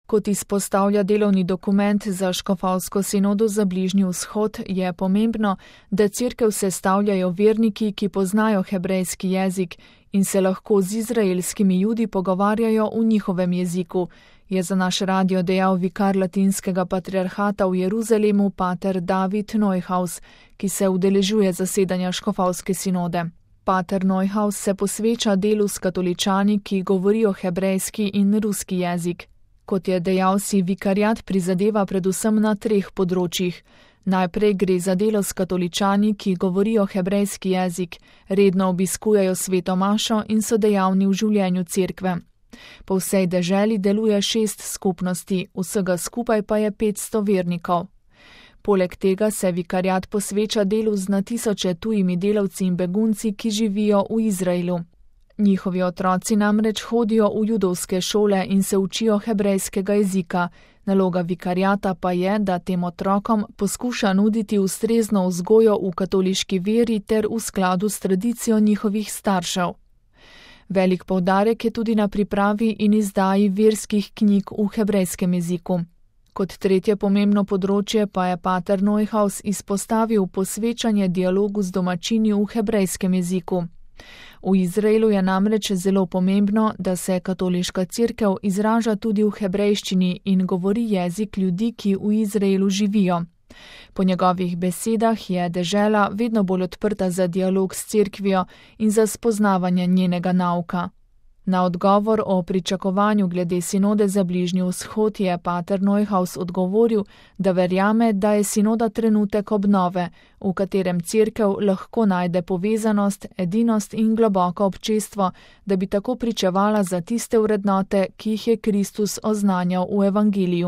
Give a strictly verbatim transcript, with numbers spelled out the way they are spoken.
Kot izpostavlja delovni dokument za škofovsko sinodo za Bližnji vzhod, je pomembno, da cerkev sestavljajo verniki, ki poznajo hebrejski jezik in se lahko z izraelskimi Judi pogovarjajo v njihovem jeziku, je za naš radio dejal vikar latinskega patriarhata v Jeruzalemu pater David Neuhaus, ki se udeležuje zasedanja škofovske sinode. Pater Neuhaus se posveča delu s katoličani, ki govorijo hebrejski in ruski jezik. Kot je dejal, si vikariat prizadeva predvsem na treh področjih. Najprej gre za delo s katoličani, ki govorijo hebrejski jezik, redno obiskujejo sveto mašo in so dejavni v življenju cerkve. Po vsej deželi deluje šest skupnosti, vsega skupaj pa je petsto vernikov. Poleg tega se vikariat posveča delu z na tisoče tujimi delavci in begunci, ki živijo v Izraelu. Njihovi otroci namreč hodijo v judovske šole in se učijo hebrejskega jezika. Naloga vikariata pa je, da tem otrokom poskuša nuditi ustrezno vzgojo v katoliški veri ter v skladu s tradicijo njihovih staršev. Velik poudarek je tudi na pripravi in izdaji verskih knjig v hebrejskem jeziku. Kot tretje pomembno področje pa je pater Neuhaus izpostavil posvečanje dialogu z domačini v hebrejskem jeziku. V Izraelu je namreč zelo pomembno, da se katoliška cerkev izraža tudi v hebrejščini in govori jezik ljudi, ki v Izraelu živijo. Po njegovih besedah je dežela vedno bolj odprta za dialog s cerkvijo in za spoznavanje njenega nauka. Na odgovor o pričakovanju glede sinode za Bližnji vzhod je pater Neuhaus odgovoril, da verjame, da je sinoda trenutek obnove, v katerem cerkev lahko najde povezanost, edinost in globoko občestvo, da bi tako pričevala za tiste vrednote, ki jih je Kristus oznanjal v evangeliju.